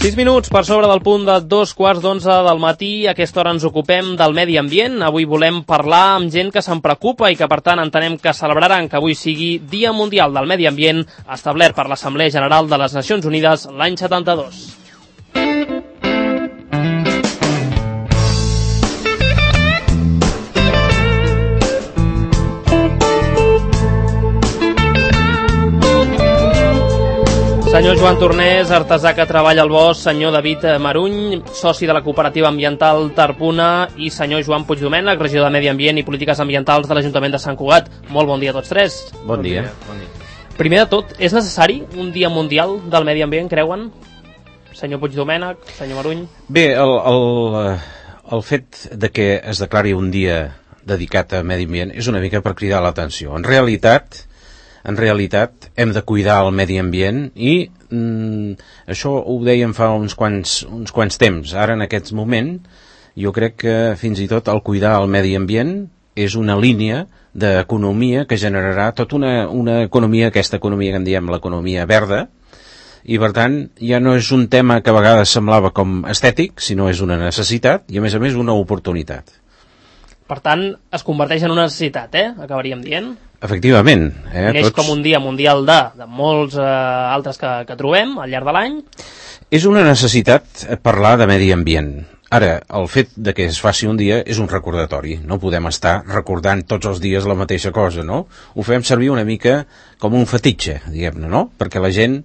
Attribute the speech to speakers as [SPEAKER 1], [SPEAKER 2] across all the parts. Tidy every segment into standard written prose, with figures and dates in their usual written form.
[SPEAKER 1] 6 minuts per sobre del punt de 2:15 del matí. A aquesta hora ens ocupem del medi ambient. Avui volem parlar amb gent que se'n preocupa i que, per tant, entenem que celebraran que avui sigui Dia Mundial del Medi Ambient, establert per l'Assemblea General de les Nacions Unides l'any 72. Senyor Joan Tornés, artesà que treballa al bosc, senyor David Maruny, soci de la cooperativa ambiental Tarpuna, i senyor Joan Puigdomènech, regidor de Medi Ambient i Polítiques Ambientals de l'Ajuntament de Sant Cugat. Molt bon dia a tots tres.
[SPEAKER 2] Bon dia.
[SPEAKER 1] Primer de tot, és necessari un Dia Mundial del Medi Ambient, creuen? Senyor Puigdomènech, senyor Maruny.
[SPEAKER 2] Bé, el fet de que es declari un dia dedicat a medi ambient és una mica per cridar l'atenció. En realitat hem de cuidar el medi ambient i això ho dèiem fa uns quants temps. Ara, en aquest moment, jo crec que fins i tot el cuidar el medi ambient és una línia d'economia que generarà tota una economia, aquesta economia que en diem l'economia verda, i per tant ja no és un tema que a vegades semblava com estètic, sinó és una necessitat i a més una oportunitat.
[SPEAKER 1] Per tant, es converteix en una necessitat, acabaríem dient.
[SPEAKER 2] Efectivament.
[SPEAKER 1] Neix com un dia mundial de molts altres que trobem al llarg de l'any.
[SPEAKER 2] És una necessitat parlar de medi ambient. Ara, el fet de que es faci un dia és un recordatori. No podem estar recordant tots els dies la mateixa cosa, no? Ho fem servir una mica com un fetitxe, diguem-ne, no? Perquè la gent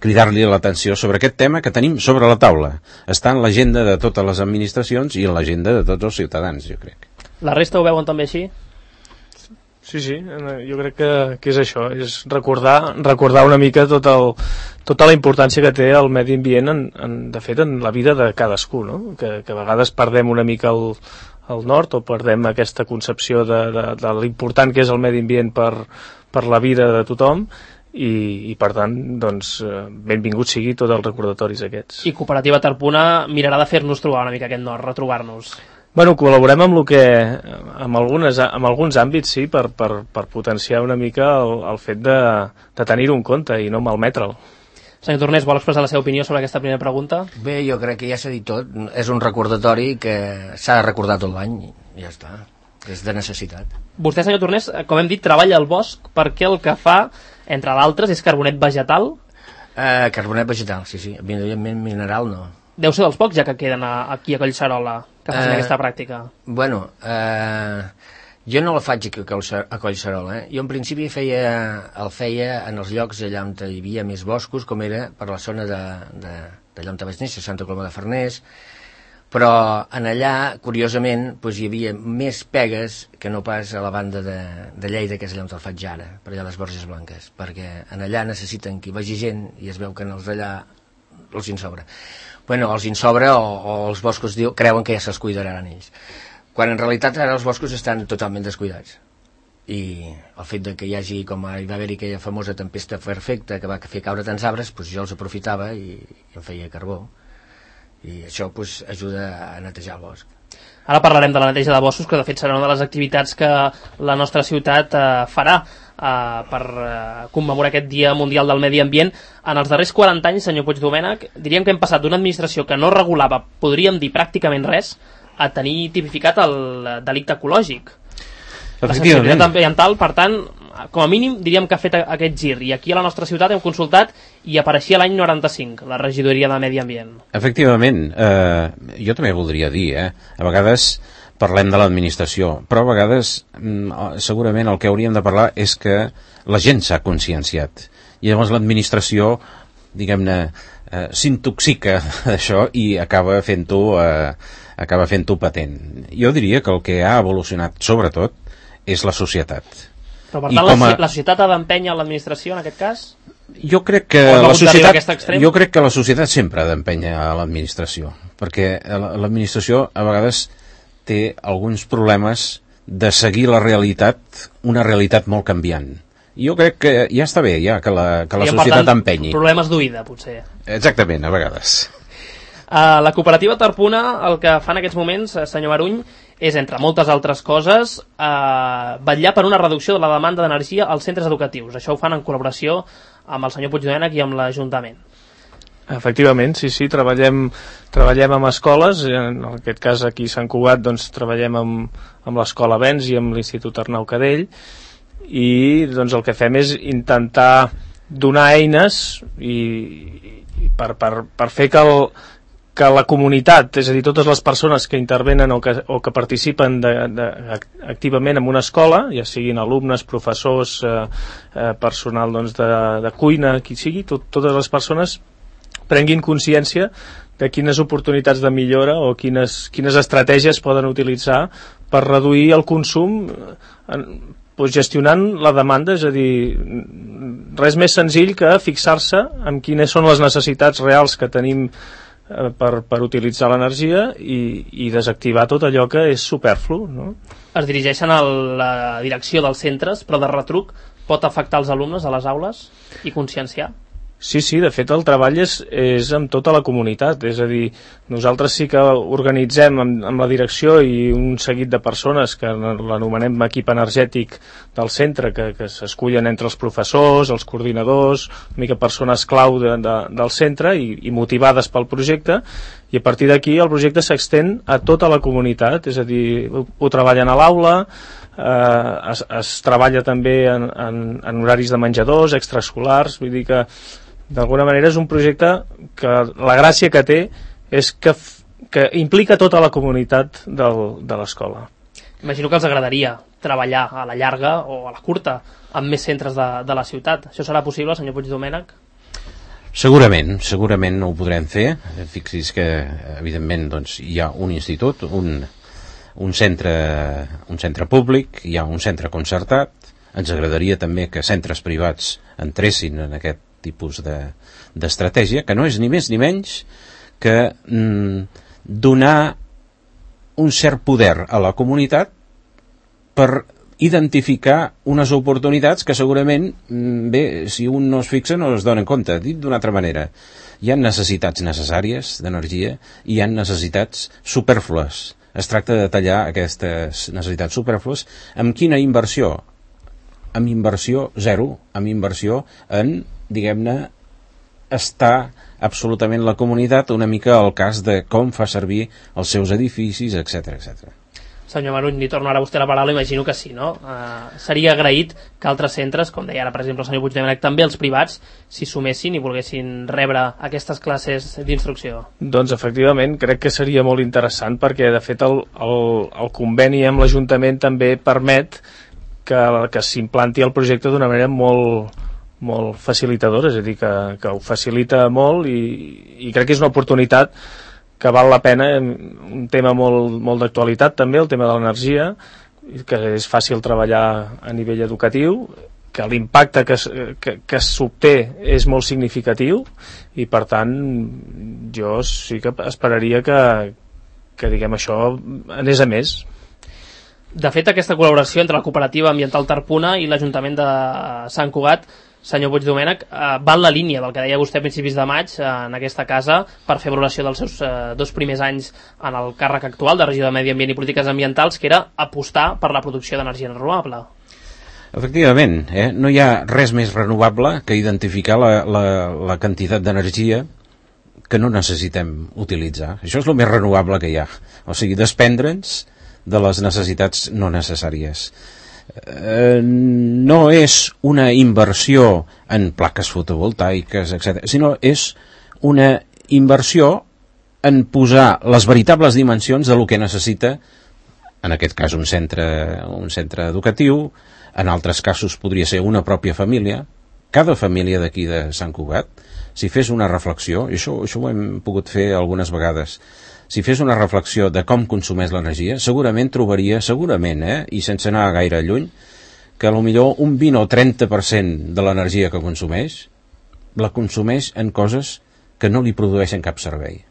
[SPEAKER 2] cridar-li l'atenció sobre aquest tema que tenim sobre la taula. Està en l'agenda de totes les administracions i en l'agenda de tots els ciutadans, jo crec.
[SPEAKER 1] La resta ho veuen també així?
[SPEAKER 3] Sí, jo crec que és això, és recordar una mica tota la importància que té el medi ambient de fet en la vida de cadascú, no? Que a vegades perdem una mica el nord o perdem aquesta concepció de l'important que és el medi ambient per la vida de tothom i per tant, doncs, benvingut sigui tots els recordatoris aquests.
[SPEAKER 1] I Cooperativa Tarpuna mirarà de fer-nos trobar una mica aquest nord, retrobar-nos.
[SPEAKER 3] Bueno, col·laborem amb alguns àmbits, sí, per potenciar una mica el fet de tenir-ho en compte i no malmetre'l.
[SPEAKER 1] Senyor Tornés, vol expressar la seva opinió sobre aquesta primera pregunta?
[SPEAKER 4] Bé, jo crec que ja s'ha dit tot. És un recordatori que s'ha de recordar tot l'any i ja està. És de necessitat.
[SPEAKER 1] Vostè, senyor Tornés, com hem dit, treballa al bosc perquè el que fa, entre d'altres, és carbonet vegetal?
[SPEAKER 4] Carbonet vegetal, sí. Evidentment mineral no.
[SPEAKER 1] Deu ser dels pocs ja que queden aquí a Collserola que facin aquesta pràctica.
[SPEAKER 4] Bueno, jo no la faig a Collserola. Jo en principi el feia en els llocs allà on hi havia més boscos, com era per la zona d'allà on vaig néixer, Santa Coloma de Farners, però en allà, curiosament, doncs hi havia més pegues que no pas a la banda de Lleida, que és allà on el faig ara, per allà les Borges Blanques, perquè en allà necessiten que hi vagi gent i es veu que en els d'allà els en sobra. Bueno, els en sobra o els boscos creuen que ja se'ls cuidaran ells. Quan en realitat ara els boscos estan totalment descuidats. I el fet de que hi hagi, com hi va haver-hi aquella famosa tempesta perfecta que va fer caure tants arbres, doncs jo els aprofitava i em feia carbó. I això doncs, ajuda a netejar el bosc.
[SPEAKER 1] Ara parlarem de la neteja de boscos, que de fet serà una de les activitats que la nostra ciutat farà per commemorar aquest Dia Mundial del Medi Ambient. En els darrers 40 anys, senyor Puigdomènech, diríem que hem passat d'una administració que no regulava, podríem dir pràcticament res, a tenir tipificat el delicte ecològic. La sensibilitat ambiental, per tant, com a mínim diríem que ha fet aquest gir, i aquí a la nostra ciutat hem consultat i apareixia l'any 95 la regidoria de Medi Ambient.
[SPEAKER 2] Efectivament, jo també voldria dir, a vegades parlem de l'administració, però a vegades segurament el que hauríem de parlar és que la gent s'ha conscienciat i llavors l'administració, diguem-ne, s'intoxica d'això i acaba fent-ho patent. Jo diria que el que ha evolucionat sobretot és la societat.
[SPEAKER 1] Però per tant la societat ha d'empènyer l'administració en aquest cas?
[SPEAKER 2] Jo crec que la societat sempre ha d'empènyer a l'administració, perquè l'administració a vegades té alguns problemes de seguir la realitat, una realitat molt canviant. Jo crec que ja està bé que la societat empenyi.
[SPEAKER 1] Problemes d'oïda, potser.
[SPEAKER 2] Exactament, a vegades.
[SPEAKER 1] La cooperativa Tarpuna el que fa en aquests moments, senyor Maruny, és, entre moltes altres coses, vetllar per una reducció de la demanda d'energia als centres educatius. Això ho fan en col·laboració amb el senyor Puigdomènech i amb l'Ajuntament.
[SPEAKER 3] Efectivament, sí, treballem amb escoles, en aquest cas aquí a Sant Cugat doncs, treballem amb l'escola Vents i amb l'Institut Arnau Cadell, i doncs, el que fem és intentar donar eines per fer que la comunitat, és a dir, totes les persones que intervenen o que participen activament en una escola, ja siguin alumnes, professors, personal doncs, de cuina, qui sigui, totes les persones prenguin consciència de quines oportunitats de millora o quines estratègies poden utilitzar per reduir el consum gestionant la demanda, és a dir, res més senzill que fixar-se en quines són les necessitats reals que tenim per utilitzar l'energia i desactivar tot allò que és superflu, no?
[SPEAKER 1] Es dirigeixen a la direcció dels centres, però de retruc pot afectar els alumnes a les aules i conscienciar?
[SPEAKER 3] Sí, de fet el treball és amb tota la comunitat, és a dir, nosaltres sí que organitzem amb la direcció i un seguit de persones que l'anomenem equip energètic del centre, que s'escullen entre els professors, els coordinadors, una mica persones clau del centre i motivades pel projecte, i a partir d'aquí el projecte s'extén a tota la comunitat, és a dir, ho treballen a l'aula, es treballa també en horaris de menjadors, extraescolars, vull dir que d'alguna manera és un projecte que la gràcia que té és que implica tota la comunitat de l'escola.
[SPEAKER 1] Imagino que els agradaria treballar a la llarga o a la curta amb més centres de la ciutat. Això serà possible, senyor Puigdomènech?
[SPEAKER 2] Segurament ho podrem fer. Fixi's que, evidentment, doncs, hi ha un institut, un centre públic, hi ha un centre concertat. Ens agradaria també que centres privats entressin en aquest tipus d'estratègia, que no és ni més ni menys que donar un cert poder a la comunitat per identificar unes oportunitats que segurament, bé, si un no es fixa no es dona en compte. Dit d'una altra manera, hi ha necessitats necessàries d'energia i hi ha necessitats supèrflues. Es tracta de tallar aquestes necessitats supèrflues. Amb quina inversió? Amb inversió zero, amb inversió en, diguem-ne, estar absolutament la comunitat una mica al cas de com fa servir els seus edificis, etc.
[SPEAKER 1] Senyor Maruny, li torno ara a vostè la paraula, imagino que sí, no? Seria agraït que altres centres, com deia ara per exemple el senyor Puigdomènech, també els privats, s'hi sumessin i volguessin rebre aquestes classes d'instrucció.
[SPEAKER 3] Doncs efectivament, crec que seria molt interessant perquè de fet el conveni amb l'Ajuntament també permet que s'implanti el projecte d'una manera molt facilitadora, és a dir, que ho facilita molt i crec que és una oportunitat que val la pena, un tema molt d'actualitat també, el tema de l'energia, que és fàcil treballar a nivell educatiu, que l'impacte que s'obté és molt significatiu i per tant jo sí que esperaria que diguem això anés a més.
[SPEAKER 1] De fet, aquesta col·laboració entre la cooperativa ambiental Tarpuna i l'Ajuntament de Sant Cugat, senyor Puigdomènech, va en la línia del que deia vostè a principis de maig en aquesta casa per fer valoració dels seus 2 primers anys en el càrrec actual de regidor de Medi Ambient i Polítiques Ambientals, que era apostar per la producció d'energia renovable.
[SPEAKER 2] Efectivament, no hi ha res més renovable que identificar la quantitat d'energia que no necessitem utilitzar. Això és el més renovable que hi ha. O sigui, desprendre'ns de les necessitats no necessàries. No és una inversió en plaques fotovoltaiques, etc., sinó és una inversió en posar les veritables dimensions de lo que necessita, en aquest cas un centre educatiu, en altres casos podria ser una pròpia família. Cada família d'aquí de Sant Cugat, si fes una reflexió, i això ho hem pogut fer algunes vegades, si fes una reflexió de com consumeix l'energia, segurament trobaria, i sense anar gaire lluny, que potser un 20 o 30% de l'energia que consumeix, la consumeix en coses que no li produeixen cap servei.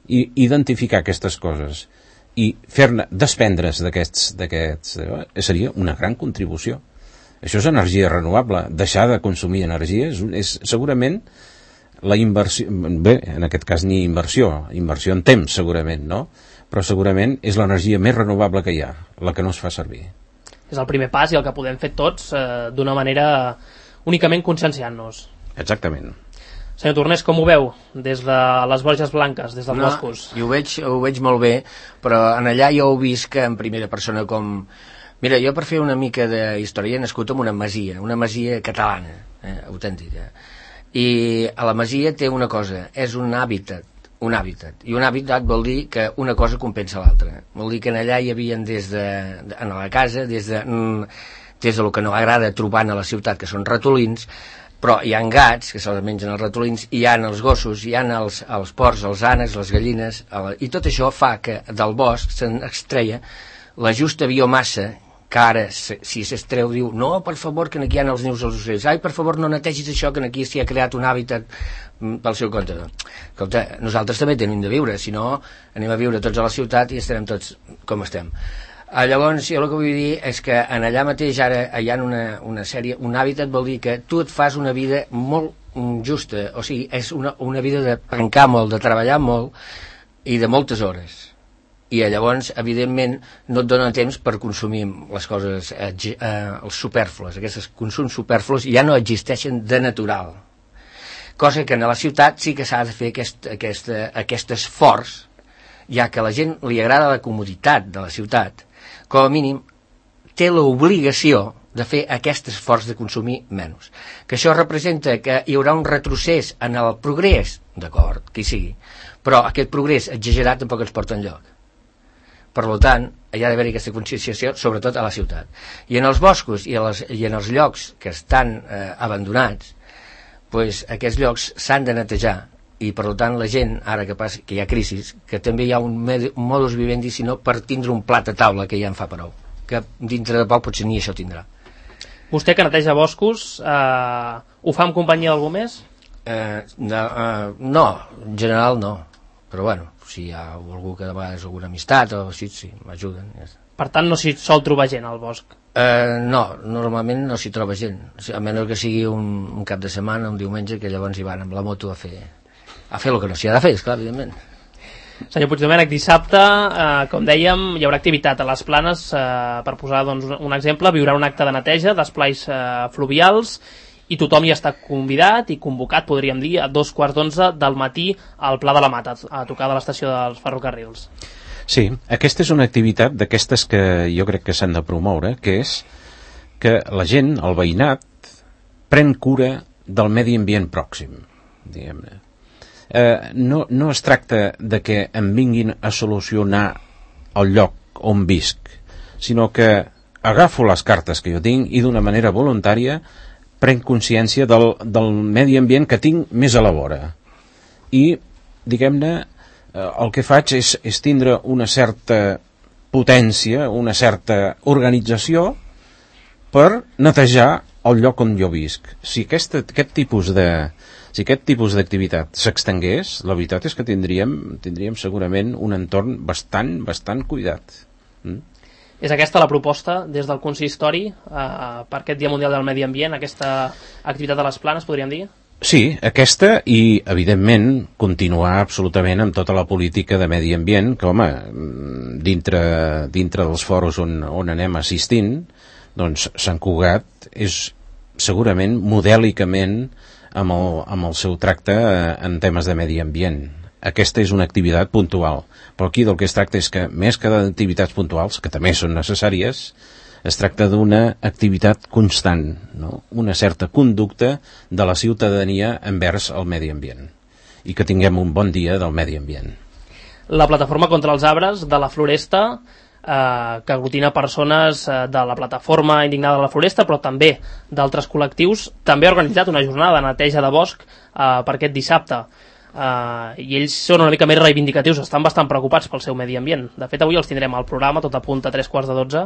[SPEAKER 2] I identificar aquestes coses i fer-ne desprendre's d'aquests seria una gran contribució. Això és energia renovable. Deixar de consumir energia és segurament la inversió, bé, en aquest cas ni inversió en temps segurament, no? Però segurament és l'energia més renovable que hi ha, la que no es fa servir.
[SPEAKER 1] És el primer pas i el que podem fer tots d'una manera únicament conscienciant-nos.
[SPEAKER 2] Exactament.
[SPEAKER 1] Senyor Tornés, com ho veu des de les Borges Blanques, des dels boscos?
[SPEAKER 4] Jo ho veig molt bé, però en allà jo ho visc en primera persona com... Mira, jo per fer una mica de història he nascut en una masia catalana, autèntica. I a la masia té una cosa, és un hàbitat, i un hàbitat vol dir que una cosa compensa l'altra. Vol dir que en allà hi havia en la casa, des de lo que no agrada trobar a la ciutat, que són ratolins, però hi ha gats, que se'ls mengen els ratolins, hi ha els gossos, hi ha els porcs, els ànecs, les gallines, i tot això fa que del bosc se'n extreia la justa biomassa, que ara, si s'extreu, diu, no, per favor, que aquí hi ha els nius dels ocells, ai, per favor, no netegis això, que aquí s'hi ha creat un hàbitat pel seu compte. Escolta, nosaltres també tenim de viure, si no, anem a viure tots a la ciutat i estarem tots com estem. Llavors, jo el que vull dir és que en allà mateix ara hi ha una sèrie, un hàbitat vol dir que tu et fas una vida molt justa, o sigui, és una vida de pencar molt, de treballar molt i de moltes hores. I llavors, evidentment, no et dona temps per consumir les coses, els superflus, aquests consums superflus ja no existeixen de natural. Cosa que a la ciutat sí que s'ha de fer aquest esforç, ja que a la gent li agrada la comoditat de la ciutat, com a mínim té l'obligació de fer aquest esforç de consumir menys. Que això representa que hi haurà un retrocés en el progrés, d'acord, que hi sigui, però aquest progrés exagerat tampoc ens porta enlloc. Per tant, hi ha d'haver aquesta conscienciació, sobretot a la ciutat. I en els boscos i en els llocs que estan abandonats, doncs aquests llocs s'han de netejar, i per tant la gent, ara que hi ha crisi, que també hi ha un modus vivendi, sinó per tindre un plat a taula, que ja en fa prou, que dintre de poc potser ni això tindrà.
[SPEAKER 1] Vostè que neteja boscos, ho fa en companyia d'algú més?
[SPEAKER 4] No, en general no, però bueno, si hi ha algú que de vegades alguna amistat o així, sí, m'ajuden. Ja.
[SPEAKER 1] Per tant, no s'hi sol trobar gent al bosc?
[SPEAKER 4] No, normalment no s'hi troba gent, a menys que sigui un cap de setmana, un diumenge, que llavors hi van amb la moto a fer el que no s'hi ha de fer, esclar, evidentment.
[SPEAKER 1] Senyor Puigdomènech, dissabte, com dèiem, hi haurà activitat a les Planes, per posar doncs, un exemple, hi haurà un acte de neteja d'esplais fluvials, i tothom hi està convidat i convocat, podríem dir, a 11:15 del matí al Pla de la Mata, a tocar de l'estació dels ferrocarrils.
[SPEAKER 2] Sí, aquesta és una activitat d'aquestes que jo crec que s'han de promoure, que és que la gent, el veïnat, pren cura del medi ambient pròxim, diguem-ne. No es tracta de que em vinguin a solucionar el lloc on visc, sinó que agafo les cartes que jo tinc i d'una manera voluntària prenc consciència del medi ambient que tinc més a la vora. I, diguem-ne, el que faig és tindre una certa potència, una certa organització per netejar el lloc on jo visc. Si aquest tipus d'activitat s'extengués, la veritat és que tindríem segurament un entorn bastant cuidat.
[SPEAKER 1] És aquesta la proposta des del consistori per aquest Dia Mundial del Medi Ambient, aquesta activitat de les Planes, podríem dir?
[SPEAKER 2] Sí, aquesta i, evidentment, continuar absolutament amb tota la política de medi ambient que, home, dintre dels foros on anem assistint, doncs Sant Cugat és segurament modèlicament amb el seu tracte en temes de medi ambient. Aquesta és una activitat puntual, però aquí del que es tracta és que, més que d'activitats puntuals, que també són necessàries, es tracta d'una activitat constant, no? Una certa conducta de la ciutadania envers el medi ambient, i que tinguem un bon dia del medi ambient.
[SPEAKER 1] La Plataforma contra els Arbres de la Floresta, que aglutina persones de la Plataforma Indignada de la Floresta, però també d'altres col·lectius, també ha organitzat una jornada de neteja de bosc per aquest dissabte. I ells són una mica més reivindicatius, estan bastant preocupats pel seu medi ambient. De fet, avui els tindrem al programa, tot a punt a 11:45.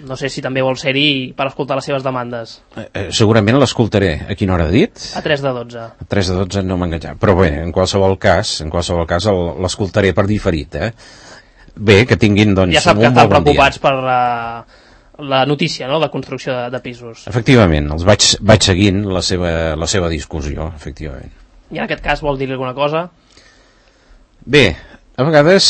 [SPEAKER 1] No sé si també vol ser-hi per escoltar les seves demandes.
[SPEAKER 2] Segurament l'escoltaré. A quina hora ha dit?
[SPEAKER 1] A 11:45.
[SPEAKER 2] A 11:45 no m'ha enganxat. Però bé, en qualsevol cas l'escoltaré per diferit, Bé, que tinguin, doncs,
[SPEAKER 1] ja sap que estan preocupats
[SPEAKER 2] per
[SPEAKER 1] la notícia, no?, de construcció de pisos.
[SPEAKER 2] Efectivament, els vaig seguint la seva discussió, efectivament.
[SPEAKER 1] I en aquest cas vol dir alguna cosa?
[SPEAKER 2] Bé, a vegades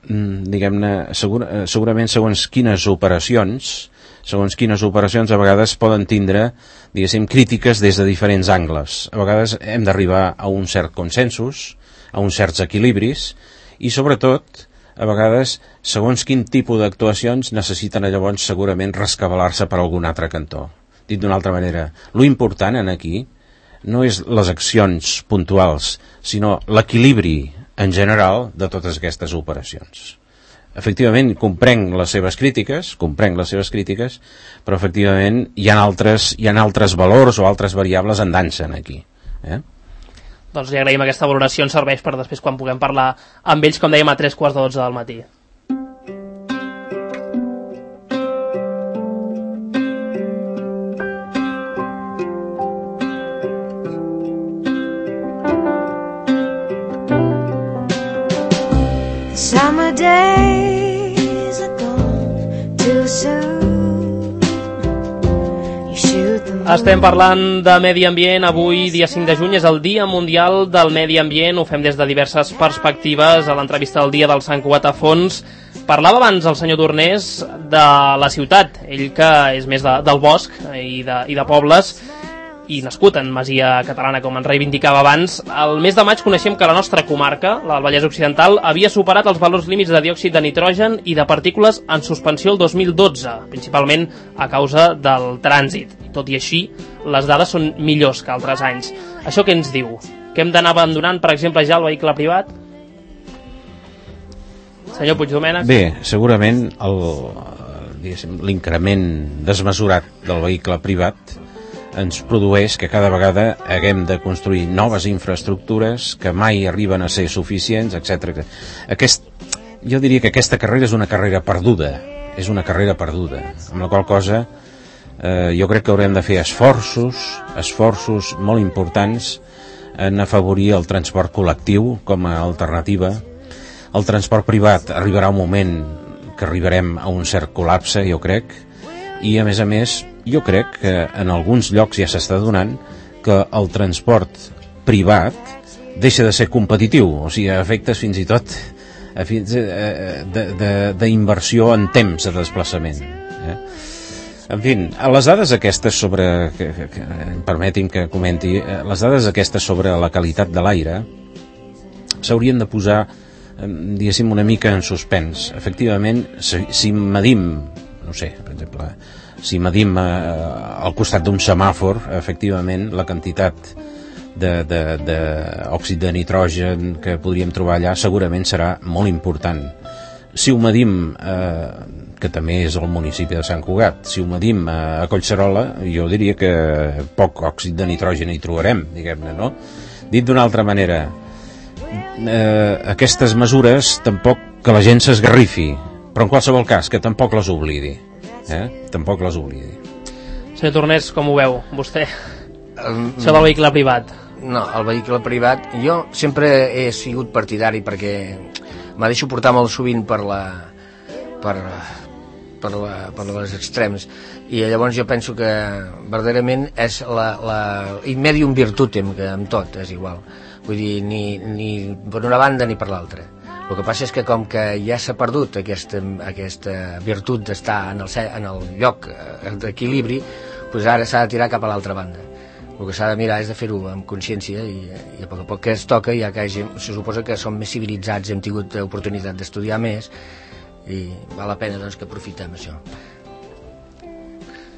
[SPEAKER 2] diguem-ne, segurament segons quines operacions segons quines operacions a vegades poden tindre, diguéssim, crítiques des de diferents angles. A vegades hem d'arribar a un cert consensos, a uns certs equilibris, i sobretot, a vegades, segons quin tipus d'actuacions necessiten llavors segurament rescabalar-se per algun altre cantó. Dit d'una altra manera, lo important en aquí no és les accions puntuals, sinó l'equilibri en general de totes aquestes operacions. Efectivament, comprenc les seves crítiques, però efectivament hi ha altres valors o altres variables en dansa aquí.
[SPEAKER 1] Doncs li agraïm aquesta valoració, ens serveix per després quan puguem parlar amb ells, com dèiem, a 3:15 del matí.
[SPEAKER 5] Summer days are gone too soon. You shoot them.
[SPEAKER 1] Estem parlant de medi ambient. Avui, dia 5 de juny, és el Dia Mundial del Medi Ambient. Ho fem des de diverses perspectives. A l'entrevista del dia del Sant Cugat a fons parlava abans el senyor Tornés de la ciutat, ell que és més del bosc i de pobles, i nascut en Masia Catalana, com ens reivindicava abans. El mes de maig coneixem que la nostra comarca, la del Vallès Occidental, havia superat els valors límits de diòxid de nitrogen i de partícules en suspensió el 2012, principalment a causa del trànsit. Tot i així, les dades són millors que altres anys. Això què ens diu? Que hem d'anar abandonant, per exemple, ja el vehicle privat? Senyor Puigdomènech?
[SPEAKER 2] Bé, segurament l'increment desmesurat del vehicle privat ens produeix que cada vegada haguem de construir noves infraestructures que mai arriben a ser suficients, etc. Jo diria que aquesta carrera és una carrera perduda, amb la qual cosa jo crec que haurem de fer esforços molt importants en afavorir el transport col·lectiu com a alternativa. El transport privat arribarà un moment que arribarem a un cert col·lapse, jo crec, i a més, jo crec que en alguns llocs ja s'està donant que el transport privat deixa de ser competitiu, o sigui, a efectes fins i tot d'inversió en temps de desplaçament. En fi, les dades aquestes sobre, permeti'm que comenti, les dades aquestes sobre la qualitat de l'aire s'haurien de posar, diguéssim, una mica en suspens. Efectivament, si medim, no sé, per exemple, si medim al costat d'un semàfor, efectivament, la quantitat d'òxid de nitrogen que podríem trobar allà segurament serà molt important. Si ho medim, que també és el municipi de Sant Cugat, si ho medim a Collserola, jo diria que poc òxid de nitrogen hi trobarem, diguem-ne, no? Dit d'una altra manera, aquestes mesures tampoc que la gent s'esgarrifi, però en qualsevol cas que tampoc les oblidi.
[SPEAKER 1] Senyor Tornés, com ho veu vostè? Això del vehicle privat.
[SPEAKER 4] No, el vehicle privat jo sempre he sigut partidari perquè me deixo portar molt sovint per les extrems, i llavors jo penso que verdaderament és in medium virtutem, que amb tot és igual, vull dir, ni per una banda ni per l'altra. El que passa és que com que ja s'ha perdut aquesta virtut d'estar en el lloc d'equilibri, doncs ara s'ha de tirar cap a l'altra banda. El que s'ha de mirar és de fer-ho amb consciència i a poc a poc que es toca, ja que se suposa que som més civilitzats, hem tingut oportunitat d'estudiar més i val la pena doncs que aprofitem això.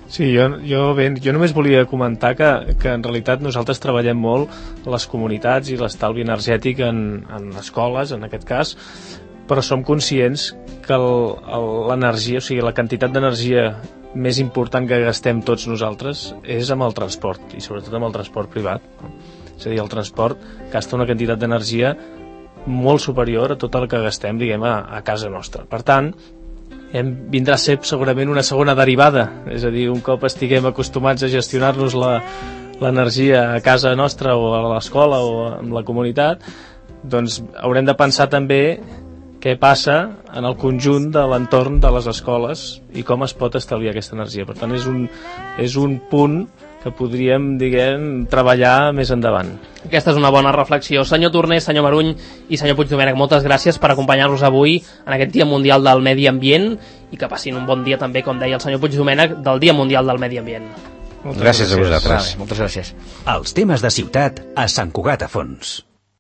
[SPEAKER 3] Sí, jo només volia comentar que en realitat nosaltres treballem molt les comunitats i l'estalvi energètic en escoles, en aquest cas, però som conscients que l'energia, o sigui, la quantitat d'energia més important que gastem tots nosaltres és amb el transport, i sobretot amb el transport privat. És a dir, el transport gasta una quantitat d'energia molt superior a tot el que gastem, diguem, a casa nostra. Per tant, vindrà a ser segurament una segona derivada, és a dir, un cop estiguem acostumats a gestionar-nos l'energia a casa nostra o a l'escola o amb la comunitat, doncs haurem de pensar també què passa en el conjunt de l'entorn de les escoles i com es pot estalviar aquesta energia. Per tant, és un punt podríem, treballar més endavant.
[SPEAKER 1] Aquesta és una bona reflexió. Senyor Torner, senyor Maruny i senyor Puigdomènech, moltes gràcies per acompanyar-nos avui en aquest Dia Mundial del Medi Ambient i que passin un bon dia també, com deia el senyor Puigdomènech, del Dia Mundial del Medi Ambient.
[SPEAKER 2] Gràcies a vosaltres.
[SPEAKER 4] Moltes gràcies.
[SPEAKER 6] Els temes de ciutat a Sant Cugat a Fons.